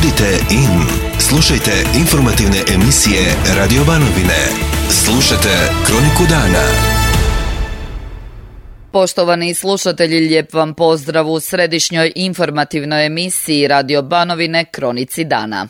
Budite in. Slušajte informativne emisije Radio Banovine. Slušajte Kroniku dana. Poštovani slušatelji, lijep vam pozdrav u središnjoj informativnoj emisiji Radio Banovine Kronici dana.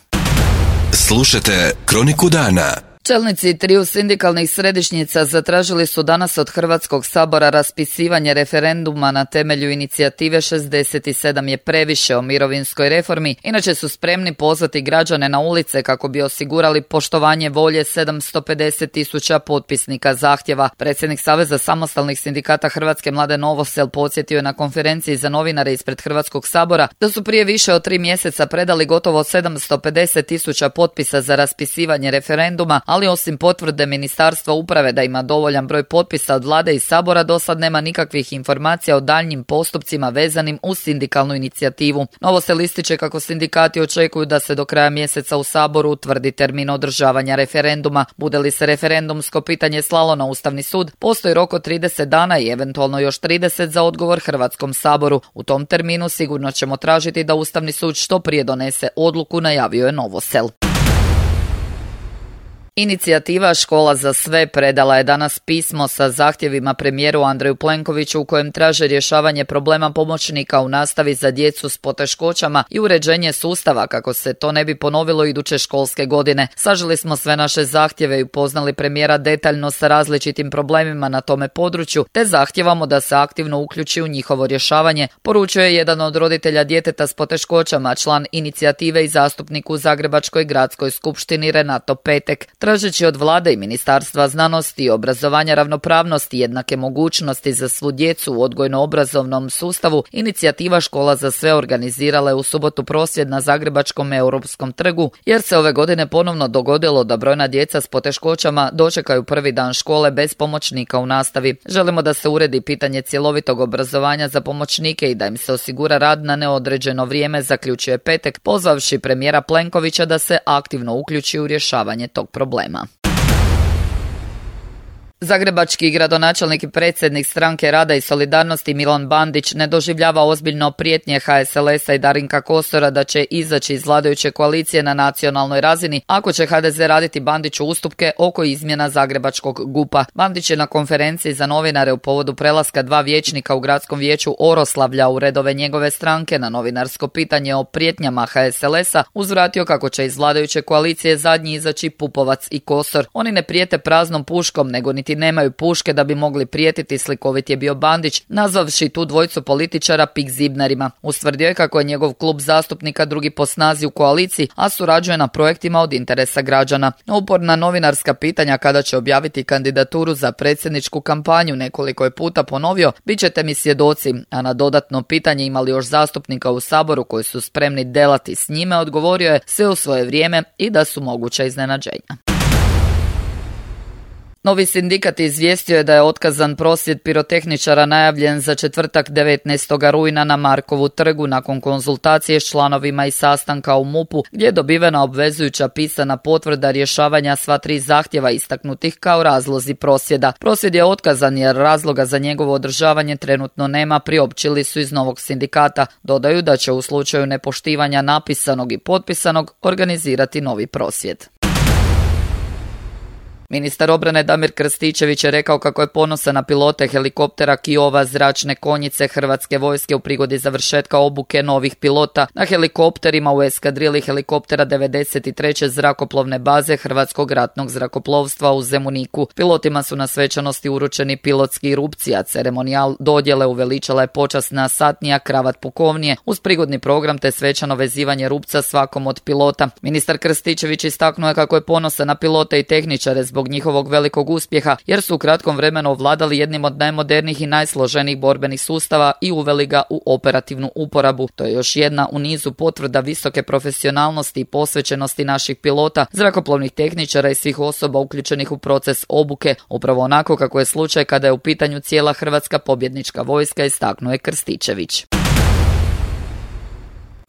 Slušajte Kroniku dana. Čelnici triju sindikalnih središnjica zatražili su danas od Hrvatskog sabora raspisivanje referenduma na temelju inicijative 67 je previše o mirovinskoj reformi, inače su spremni pozvati građane na ulice kako bi osigurali poštovanje volje 750.000 potpisnika zahtjeva. Predsjednik Saveza samostalnih sindikata Hrvatske Mladen Novosel podsjetio je na konferenciji za novinare ispred Hrvatskog sabora da su prije više od 3 mjeseca predali gotovo 750.000 potpisa za raspisivanje referenduma, ali osim potvrde Ministarstva uprave da ima dovoljan broj potpisa od vlade i sabora, dosad nema nikakvih informacija o daljnjim postupcima vezanim uz sindikalnu inicijativu. Novosel ističe kako sindikati očekuju da se do kraja mjeseca u saboru utvrdi termin održavanja referenduma. Bude li se referendumsko pitanje slalo na Ustavni sud, postoji rok od 30 dana i eventualno još 30 za odgovor Hrvatskom saboru. U tom terminu sigurno ćemo tražiti da Ustavni sud što prije donese odluku, najavio je Novosel. Inicijativa Škola za sve predala je danas pismo sa zahtjevima premijeru Andreju Plenkoviću u kojem traže rješavanje problema pomoćnika u nastavi za djecu s poteškoćama i uređenje sustava kako se to ne bi ponovilo iduće školske godine. Saželi smo sve naše zahtjeve i upoznali premijera detaljno sa različitim problemima na tome području, te zahtjevamo da se aktivno uključi u njihovo rješavanje, poručio je jedan od roditelja djeteta s poteškoćama, član inicijative i zastupnik u Zagrebačkoj gradskoj skupštini Renato Petek. Tražeći od vlade i Ministarstva znanosti i obrazovanja ravnopravnosti i jednake mogućnosti za svu djecu u odgojno-obrazovnom sustavu, inicijativa Škola za sve organizirala je u subotu prosvjed na Zagrebačkom Europskom trgu, jer se ove godine ponovno dogodilo da brojna djeca s poteškoćama dočekaju prvi dan škole bez pomoćnika u nastavi. Želimo da se uredi pitanje cjelovitog obrazovanja za pomoćnike i da im se osigura rad na neodređeno vrijeme, zaključuje Petek, pozvavši premijera Plenkovića da se aktivno uključi u rješavanje tog problema. Zagrebački gradonačelnik i predsjednik Stranke rada i solidarnosti Milan Bandić ne doživljava ozbiljno prijetnje HSLS-a i Darinka Kosora da će izaći iz vladajuće koalicije na nacionalnoj razini ako će HDZ raditi Bandiću ustupke oko izmjena Zagrebačkog GUP-a. Bandić je na konferenciji za novinare u povodu prelaska 2 vijećnika u gradskom vijeću Oroslavlja u redove njegove stranke na novinarsko pitanje o prijetnjama HSLS-a uzvratio kako će iz vladajuće koalicije zadnji izaći Pupovac i Kosor. Oni ne prijete praznom puškom, nego niti nemaju puške da bi mogli prijetiti, slikovit je bio Bandić, nazvavši tu dvojicu političara pik zibnarima. Ustvrdio je kako je njegov klub zastupnika drugi po snazi u koaliciji, a surađuje na projektima od interesa građana. Uporna novinarska pitanja kada će objaviti kandidaturu za predsjedničku kampanju nekoliko je puta ponovio, bit ćete mi svjedoci, a na dodatno pitanje ima li još zastupnika u Saboru koji su spremni delati s njime, odgovorio je sve u svoje vrijeme i da su moguća iznenađenja. Novi sindikat izvijestio je da je otkazan prosvjed pirotehničara najavljen za četvrtak 19. rujna na Markovu trgu nakon konzultacije s članovima i sastanka u MUP-u gdje je dobivena obvezujuća pisana potvrda rješavanja sva 3 zahtjeva istaknutih kao razlozi prosvjeda. Prosvjed je otkazan jer razloga za njegovo održavanje trenutno nema, priopćili su iz novog sindikata. Dodaju da će u slučaju nepoštivanja napisanog i potpisanog organizirati novi prosvjed. Ministar obrane Damir Krstičević je rekao kako je ponosan na pilote helikoptera Kiowa zračne konjice Hrvatske vojske u prigodi završetka obuke novih pilota na helikopterima u eskadrili helikoptera 93. zrakoplovne baze Hrvatskog ratnog zrakoplovstva u Zemuniku. Pilotima su na svečanosti uručeni pilotski rupci, a ceremonijal dodjele uveličala je počasna satnija kravat pukovnije uz prigodni program te svečano vezivanje rupca svakom od pilota. Ministar Krstičević istaknuo je kako je ponosan na pilote i tehničare zbog njihovog velikog uspjeha, jer su u kratkom vremenu ovladali jednim od najmodernijih i najsloženijih borbenih sustava i uveli ga u operativnu uporabu. To je još jedna u nizu potvrda visoke profesionalnosti i posvećenosti naših pilota, zrakoplovnih tehničara i svih osoba uključenih u proces obuke, upravo onako kako je slučaj kada je u pitanju cijela hrvatska pobjednička vojska, istaknuo je Krstičević.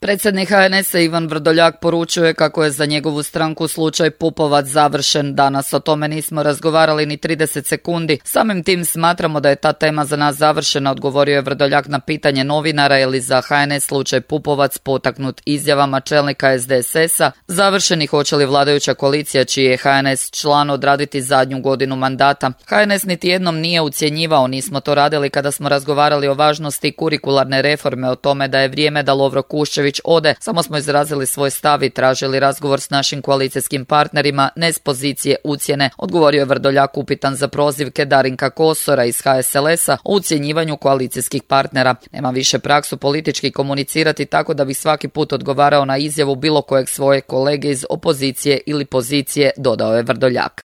Predsjednik HNS-a Ivan Vrdoljak poručuje kako je za njegovu stranku slučaj Pupovac završen. Danas o tome nismo razgovarali ni 30 sekundi. Samim tim smatramo da je ta tema za nas završena, odgovorio je Vrdoljak na pitanje novinara je li za HNS slučaj Pupovac potaknut izjavama čelnika SDSS-a završeni, hoće li vladajuća koalicija čiji je HNS član odraditi zadnju godinu mandata. HNS niti jednom nije ucjenjivao, nismo to radili kada smo razgovarali o važnosti kurikularne reforme, o tome da je vrijeme da Lovro Kuščević ode, samo smo izrazili svoj stav i tražili razgovor s našim koalicijskim partnerima, ne s pozicije ucjene, odgovorio je Vrdoljak upitan za prozivke Darinka Kosora iz HSLS-a o ucjenjivanju koalicijskih partnera. Nema više praksu politički komunicirati tako da bi svaki put odgovarao na izjavu bilo kojeg svoje kolege iz opozicije ili pozicije, dodao je Vrdoljak.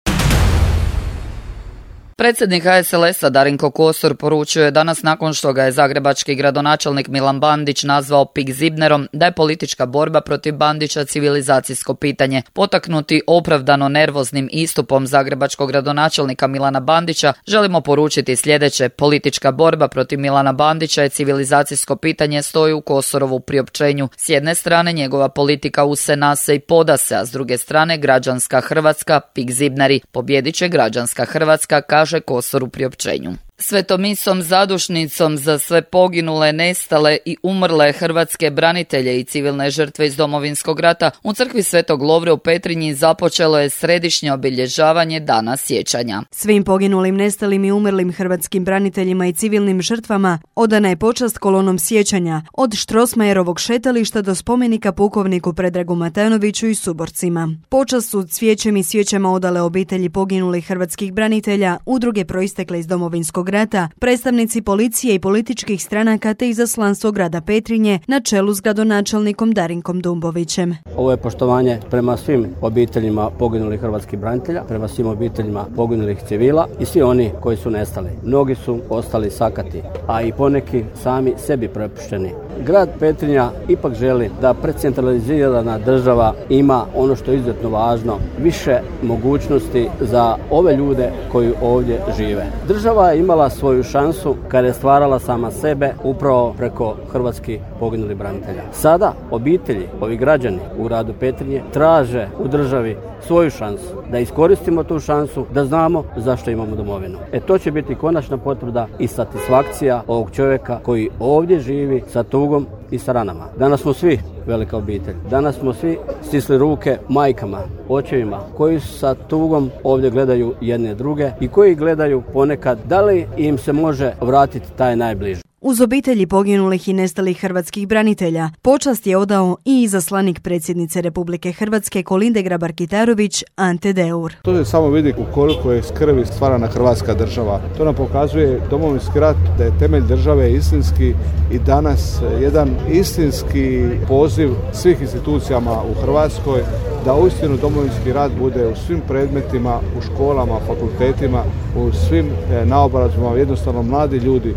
Predsjednik HSLS-a Darinko Kosor poručuje danas nakon što ga je zagrebački gradonačelnik Milan Bandić nazvao pikzibnerom da je politička borba protiv Bandića civilizacijsko pitanje. Potaknuti opravdano nervoznim istupom zagrebačkog gradonačelnika Milana Bandića želimo poručiti sljedeće: politička borba protiv Milana Bandića je civilizacijsko pitanje, stoji u Kosorovu priopćenju. S jedne strane njegova politika use nase i poda se, a s druge strane građanska Hrvatska, pikzibneri. Pobjedit će građanska Hrvatska, kaže Kosor u priopćenju. Svetomisom zadušnicom za sve poginule, nestale i umrle hrvatske branitelje i civilne žrtve iz Domovinskog rata u crkvi Svetog Lovre u Petrinji započelo je središnje obilježavanje Dana sjećanja. Svim poginulim, nestalim i umrlim hrvatskim braniteljima i civilnim žrtvama odana je počast kolonom sjećanja od Štrosmajerovog šetališta do spomenika pukovniku Predragu Matanoviću i suborcima. Počast su cvijećem i svijećama odale obitelji poginulih hrvatskih branitelja, udruge proistekle iz Domovinskog rata, predstavnici policije i političkih stranaka te izaslanstvo grada Petrinje na čelu s gradonačelnikom Darinkom Dumbovićem. Ovo je poštovanje prema svim obiteljima poginulih hrvatskih branitelja, prema svim obiteljima poginulih civila i svi oni koji su nestali. Mnogi su ostali sakati, a i poneki sami sebi prepušteni. Grad Petrinja ipak želi da precentralizirana država ima ono što je izuzetno važno, više mogućnosti za ove ljude koji ovdje žive. Država je imala svoju šansu kada je stvarala sama sebe upravo preko hrvatskih poginulih branitelja. Sada obitelji, ovi građani u gradu Petrinje traže u državi svoju šansu, da iskoristimo tu šansu, da znamo zašto imamo domovinu. To će biti konačna potvrda i satisfakcija ovog čovjeka koji ovdje živi sa tugom i sa ranama. Danas smo svi velika obitelj. Danas smo svi stisli ruke majkama, očevima koji sa tugom ovdje gledaju jedne druge i koji gledaju ponekad da li im se može vratiti taj najbliži. Uz obitelji poginulih i nestalih hrvatskih branitelja počast je odao i izaslanik predsjednice Republike Hrvatske Kolinde Grabar-Kitarović Ante Deur. To se samo vidi u koliko je skrbi stvarana Hrvatska država. To nam pokazuje Domovinski rat, da je temelj države istinski i danas jedan istinski poziv svih institucijama u Hrvatskoj da uistinu Domovinski rat bude u svim predmetima, u školama, fakultetima, u svim naobrazbama. Jednostavno mladi ljudi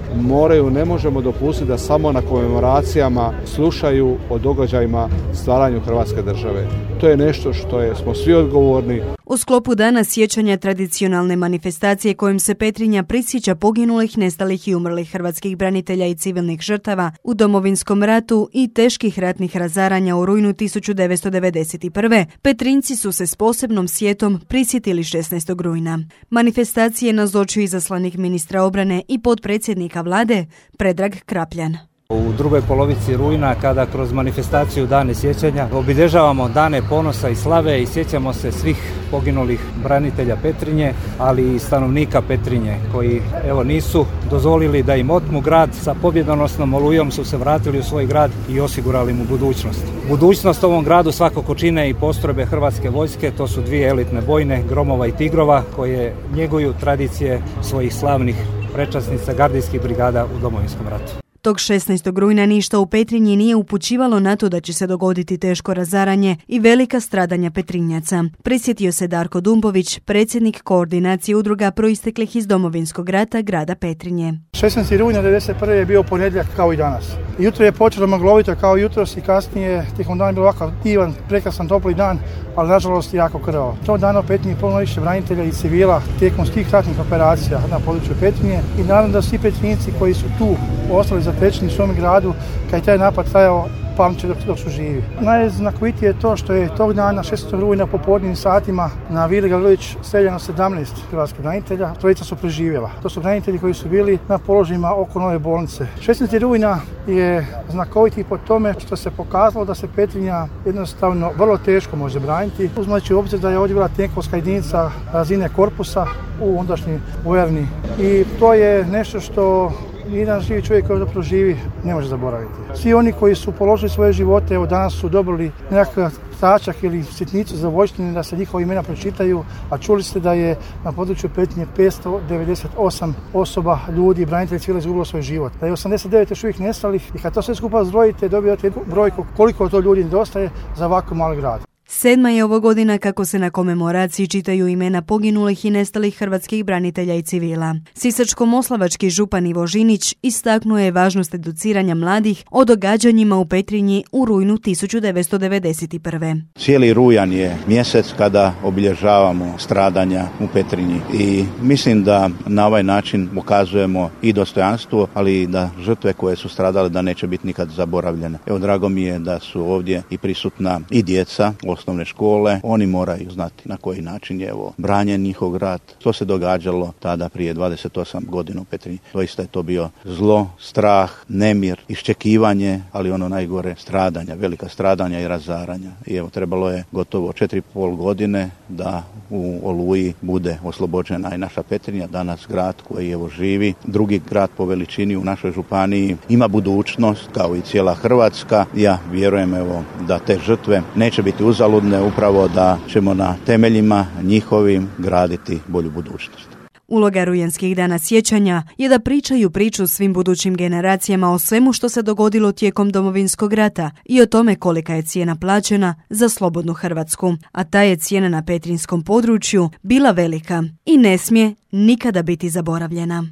ne možemo dopustiti da samo na komemoracijama slušaju o događajima stvaranju Hrvatske države. To je nešto što smo svi odgovorni. U sklopu Dana sjećanja tradicionalne manifestacije kojim se Petrinja prisjeća poginulih, nestalih i umrlih hrvatskih branitelja i civilnih žrtava u Domovinskom ratu i teških ratnih razaranja u rujnu 1991. Petrinjci su se s posebnom sjetom prisjetili 16. rujna. Manifestacije nazočio izaslanik ministra obrane i potpredsjednika vlade Predrag Krapljan. U drugoj polovici rujna, kada kroz manifestaciju Dane sjećanja obilježavamo dane ponosa i slave i sjećamo se svih poginulih branitelja Petrinje, ali i stanovnika Petrinje koji nisu dozvolili da im otmu grad. Sa pobjedonosnom olujom su se vratili u svoj grad i osigurali mu budućnost. Budućnost ovom gradu svakako čine i postrojbe Hrvatske vojske, to su dvije elitne bojne, Gromova i Tigrova, koje njeguju tradicije svojih slavnih prečasnica gardijskih brigada u Domovinskom ratu. Tog 16. rujna ništa u Petrinji nije upućivalo na to da će se dogoditi teško razaranje i velika stradanja Petrinjaca. Prisjetio se Darko Dumbović, predsjednik koordinacije udruga proisteklih iz Domovinskog rata grada Petrinje. 16. rujna 1991. je bio ponedjeljak kao i danas. Jutro je počelo maglovito kao jutros i kasnije tijekom dana je bilo ovakav divan, prekrasan, topli dan, ali nažalost jako krvavo. Tog dana u Petrinji je puno više branitelja i civila tijekom svih ratnih operacija na području Petrinje i naravno da svi Petrinjci koji su tu ostali zatečeni u svom gradu, kad je taj napad trajao pamće dok su živi. Najznakovitije je to što je tog dana 16. rujna po popodnevnim satima na Vili Gavrilović streljano 17 hrvatskih branitelja, trojica su preživjela. To su branitelji koji su bili na položajima oko nove bolnice. 16. rujna je znakoviti po tome što se pokazalo da se Petrinja jednostavno vrlo teško može braniti. Uzimajući u obzir da je ovdje bila tenkovska jedinica razine korpusa u ondašnjoj vojarni. I to je nešto što jedan živi čovjek koji zapravo živi ne može zaboraviti. Svi oni koji su položili svoje živote, evo danas su dobili nekakav tačak ili sitnicu za vojštine da se njihova imena pročitaju, a čuli ste da je na području Petrinje 598 osoba, ljudi, branitelji civila izgubilo svoj život. Da je 89 još uvijek nestalih i kad to sve skupa zbrojite dobijate brojku koliko to ljudi nedostaje za ovako mali grad. 7. je ovo godina kako se na komemoraciji čitaju imena poginulih i nestalih hrvatskih branitelja i civila. Sisačko-moslavački župan Ivo Žinić istaknuo je važnost educiranja mladih o događanjima u Petrinji u rujnu 1991. Cijeli rujan je mjesec kada obilježavamo stradanja u Petrinji i mislim da na ovaj način pokazujemo i dostojanstvo, ali i da žrtve koje su stradale da neće biti nikad zaboravljene. Evo, drago mi je da su ovdje i prisutna i djeca osnovne škole. Oni moraju znati na koji način je branjen njihov grad. Što se događalo tada prije 28 godina u Petrinji. Doista je to bio zlo, strah, nemir, iščekivanje, ali ono najgore stradanja, velika stradanja i razaranja. I evo, trebalo je gotovo 4,5 godine da u Oluji bude oslobođena i naša Petrinja, danas grad koji evo živi, drugi grad po veličini u našoj županiji, ima budućnost kao i cijela Hrvatska. Ja vjerujem da te žrtve neće biti uzaludne, upravo da ćemo na temeljima njihovim graditi bolju budućnost. Uloga rujanskih dana sjećanja je da pričaju priču svim budućim generacijama o svemu što se dogodilo tijekom Domovinskog rata i o tome kolika je cijena plaćena za slobodnu Hrvatsku. A ta je cijena na petrinjskom području bila velika i ne smije nikada biti zaboravljena.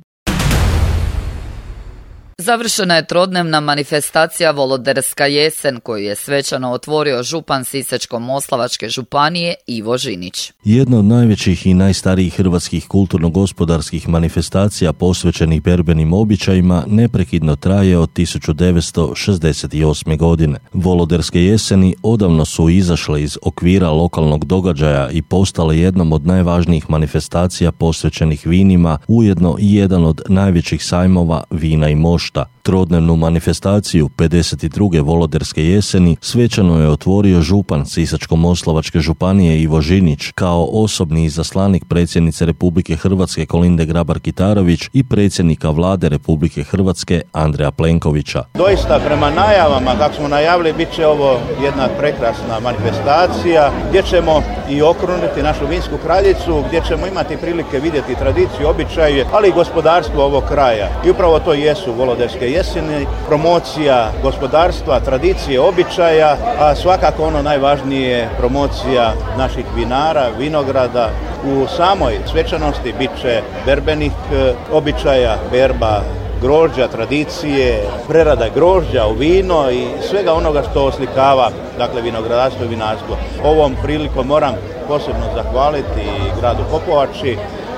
Završena je trodnevna manifestacija Voloderska jesen koju je svečano otvorio župan Sisačko-moslavačke županije Ivo Žinić. Jedna od najvećih i najstarijih hrvatskih kulturno-gospodarskih manifestacija posvećenih berbenim običajima neprekidno traje od 1968. godine. Voloderske jeseni odavno su izašle iz okvira lokalnog događaja i postale jednom od najvažnijih manifestacija posvećenih vinima, ujedno i jedan od najvećih sajmova vina i mošta. Trodnevnu manifestaciju 52. Voloderske jeseni svečano je otvorio župan Sisačko-moslavačke županije Ivo Žinić kao osobni izaslanik predsjednice Republike Hrvatske Kolinde Grabar-Kitarović i predsjednika Vlade Republike Hrvatske Andreja Plenkovića. Doista prema najavama, kako smo najavili, bit će ovo jedna prekrasna manifestacija gdje ćemo i okruniti našu vinsku kraljicu, gdje ćemo imati prilike vidjeti tradiciju, običaje, ali i gospodarstvo ovog kraja. I upravo to jesu Voloderske jeseni, promocija gospodarstva, tradicije, običaja, a svakako ono najvažnije promocija naših vinara, vinograda. U samoj svečanosti bit će berbenih običaja, berba grožđa, tradicije, prerada grožđa u vino i svega onoga što oslikava, dakle, vinogradarstvo i vinarstvo. Ovom prilikom moram posebno zahvaliti gradu Popovači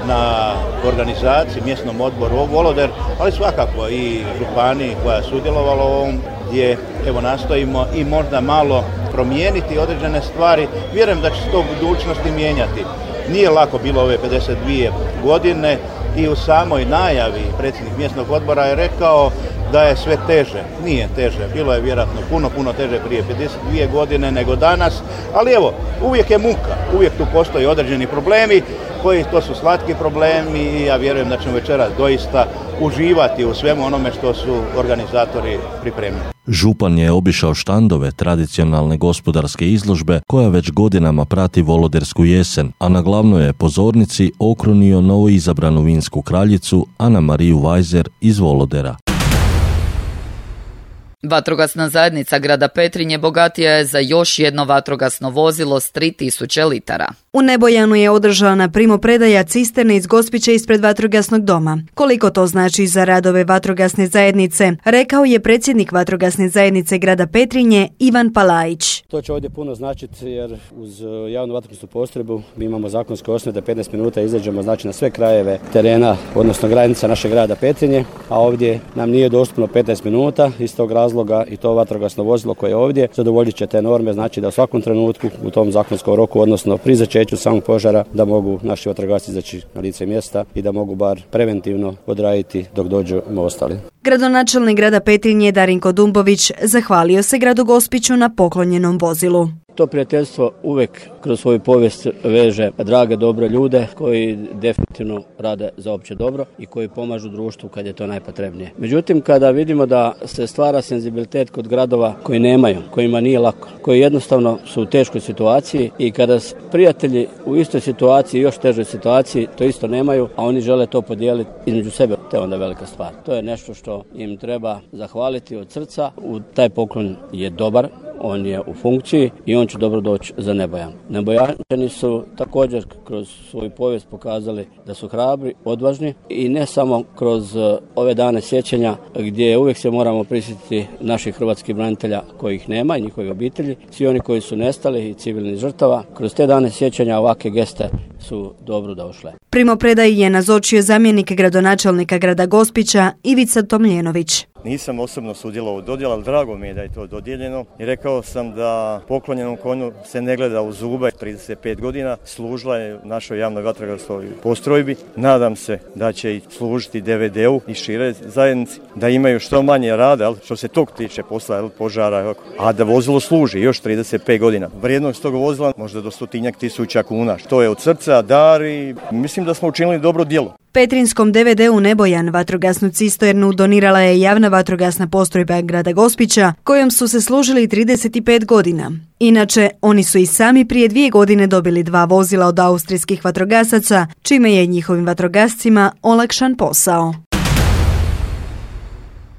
na organizaciji, mjesnom odboru Voloder, ali svakako i županiji koja je sudjelovala u ovom, gdje evo nastojimo i možda malo promijeniti određene stvari. Vjerujem da će se to u budućnosti mijenjati. Nije lako bilo ove 52 godine i u samoj najavi predsjednik mjesnog odbora je rekao da je sve teže. Nije teže, bilo je vjerojatno puno teže prije 52 godine nego danas, ali evo, uvijek je muka, uvijek tu postoji određeni problemi koji to su slatki problemi i ja vjerujem da ćemo večeras doista uživati u svemu onome što su organizatori pripremili. Župan je obišao štandove tradicionalne gospodarske izložbe koja već godinama prati Volodersku jesen, a na glavnoj je pozornici okrunio novoizabranu vinsku kraljicu Anamariju Vajzer iz Volodera. Vatrogasna zajednica grada Petrinje bogatija je za još jedno vatrogasno vozilo s 3000 litara. U Nebojanu je održana primopredaja cisterne iz Gospića ispred vatrogasnog doma. Koliko to znači za radove vatrogasne zajednice, rekao je predsjednik vatrogasne zajednice grada Petrinje Ivan Palajić. To će ovdje puno značiti jer uz javnu vatrogasnu postrojbu mi imamo zakonske osnove da 15 minuta izađemo na sve krajeve terena, odnosno granica našeg grada Petrinje, a ovdje nam nije dostupno 15 minuta. Iz tog razloga razloga i to vatrogasno vozilo koje je ovdje zadovoljit će te norme, znači da u svakom trenutku u tom zakonskom roku, odnosno pri začeću samog požara, da mogu naši vatrogasci izaći na lice mjesta i da mogu bar preventivno odraditi dok dođu ostali. Gradonačelnik grada Petrinje Darinko Dumbović zahvalio se gradu Gospiću na poklonjenom vozilu. To prijateljstvo uvijek kroz svoju povijest veže drage, dobre ljude koji definitivno rade za opće dobro i koji pomažu društvu kad je to najpotrebnije. Međutim, kada vidimo da se stvara senzibilitet kod gradova koji nemaju, kojima nije lako, koji jednostavno su u teškoj situaciji i kada prijatelji u istoj situaciji, još težoj situaciji, to isto nemaju, a oni žele to podijeliti između sebe, to je onda velika stvar. To je nešto što im treba zahvaliti od srca. Taj poklon je dobar, on je u funkciji i on će dobro doći za Nebojan. Nebojančani su također kroz svoju povijest pokazali da su hrabri, odvažni i ne samo kroz ove dane sjećanja gdje uvijek se moramo prisjetiti naših hrvatskih branitelja kojih nema i njihovih obitelji, svi oni koji su nestali i civilnih žrtava. Kroz te dane sjećanja ovakve geste su dobro došle. Primopredaji je nazočio zamjenik gradonačelnika grada Gospića Ivica Tomljenović. Nisam osobno sudjelovao u dodjeli, ali drago mi je da je to dodijeljeno i rekao sam da poklonjenom konju se ne gleda u zube. 35 godina služila je u našoj javnoj vatrogasnoj postrojbi. Nadam se da će i služiti DVD-u i šire zajednici, da imaju što manje rada, što se tog tiče posla, požara, a da vozilo služi još 35 godina. Vrijednost tog vozila možda do 100.000 kuna, što je od srca dar i mislim da smo učinili dobro djelo. Petrinskom DVD-u Nebojan vatrogasnu cisternu donirala je javna vatrogasna postrojba grada Gospića, kojom su se služili 35 godina. Inače, oni su i sami prije 2 godine dobili 2 vozila od austrijskih vatrogasaca, čime je njihovim vatrogascima olakšan posao.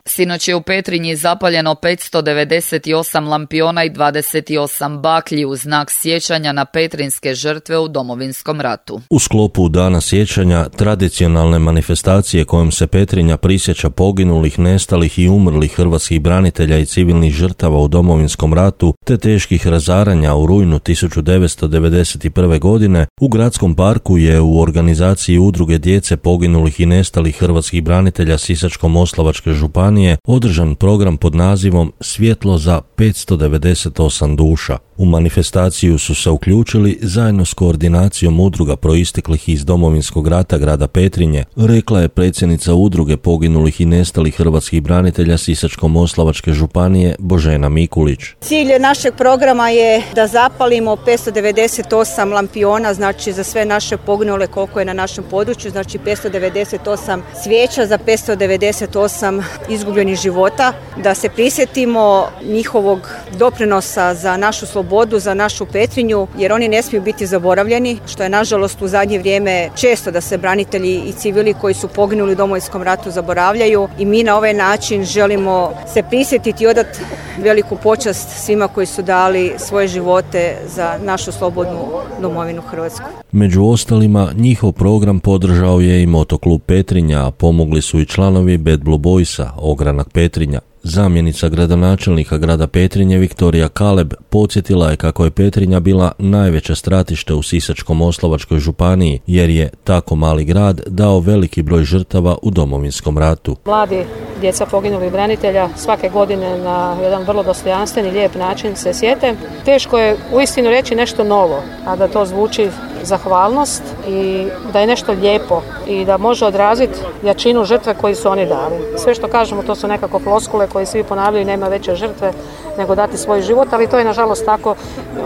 Sinoć je u Petrinji zapaljeno 598 lampiona i 28 baklji u znak sjećanja na petrinske žrtve u Domovinskom ratu. U sklopu Dana sjećanja, tradicionalne manifestacije kojom se Petrinja prisjeća poginulih, nestalih i umrlih hrvatskih branitelja i civilnih žrtava u Domovinskom ratu te teških razaranja u rujnu 1991. godine, u Gradskom parku je u organizaciji Udruge djece poginulih i nestalih hrvatskih branitelja Sisačko-moslavačke županije održan program pod nazivom Svjetlo za 598 duša. U manifestaciju su se uključili zajedno s koordinacijom udruga proisteklih iz Domovinskog rata grada Petrinje, rekla je predsjednica Udruge poginulih i nestalih hrvatskih branitelja Sisačko-moslavačke županije Božena Mikulić. Cilj našeg programa je da zapalimo 598 lampiona, znači za sve naše poginule koliko je na našem području, znači 598 svijeća za 598 izgubljenih života, da se prisjetimo njihovog doprinosa za našu slobodu, za našu Petrinju, jer oni ne smiju biti zaboravljeni, što je nažalost u zadnje vrijeme često da se branitelji i civili koji su poginuli u Domovinskom ratu zaboravljaju i mi na ovaj način želimo se prisjetiti i odati veliku počast svima koji su dali svoje živote za našu slobodnu domovinu Hrvatsku. Među ostalima, njihov program podržao je i Motoklub Petrinja, a pomogli su i članovi Bad Blue Boysa, Ogranak Petrinja. Zamjenica gradonačelnika grada Petrinje Viktorija Kaleb podsjetila je kako je Petrinja bila najveće stratište u Sisačko-moslavačkoj županiji, jer je tako mali grad dao veliki broj žrtava u Domovinskom ratu. Mladi djeca poginulih branitelja svake godine na jedan vrlo dostojanstven i lijep način se sjete. Teško je uistinu reći nešto novo, a da to zvuči zahvalnost i da je nešto lijepo i da može odraziti jačinu žrtve koju su oni dali. Sve što kažemo to su nekako floskule koje svi ponavljaju, nema veće žrtve nego dati svoj život, ali to je nažalost tako.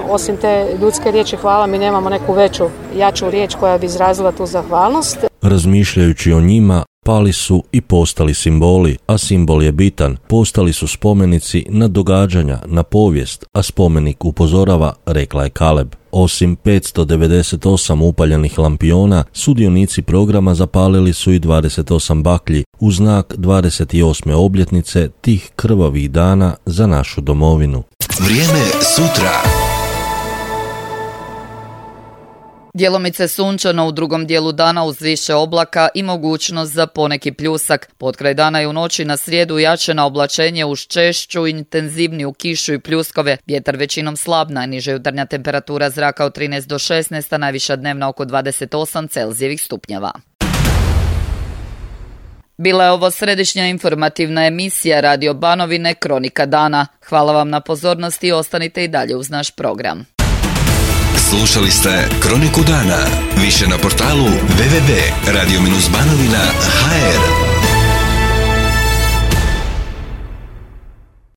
Osim te ljudske riječi hvala mi nemamo neku veću, jaču riječ koja bi izrazila tu zahvalnost. Razmišljajući o njima, pali su i postali simboli, a simbol je bitan. Postali su spomenici na događanja, na povijest, a spomenik upozorava, rekla je Kaleb. Osim 598 upaljenih lampiona, sudionici programa zapalili su i 28 baklji u znak 28. obljetnice tih krvavih dana za našu domovinu. Vrijeme sutra. Djelomice sunčano u drugom dijelu dana uz više oblaka i mogućnost za poneki pljusak. Potkraj dana i u noći na srijedu jače na oblačenje uz češću, intenzivniju kišu i pljuskove. Vjetar većinom slab, najniža jutarnja temperatura zraka od 13 do 16, a najviša dnevna oko 28 Celzijevih stupnjeva. Bila je ovo središnja informativna emisija Radio Banovine Kronika dana. Hvala vam na pozornosti i ostanite i dalje uz naš program. Slušali ste Kroniku dana. Više na portalu www.radio-banovina.hr.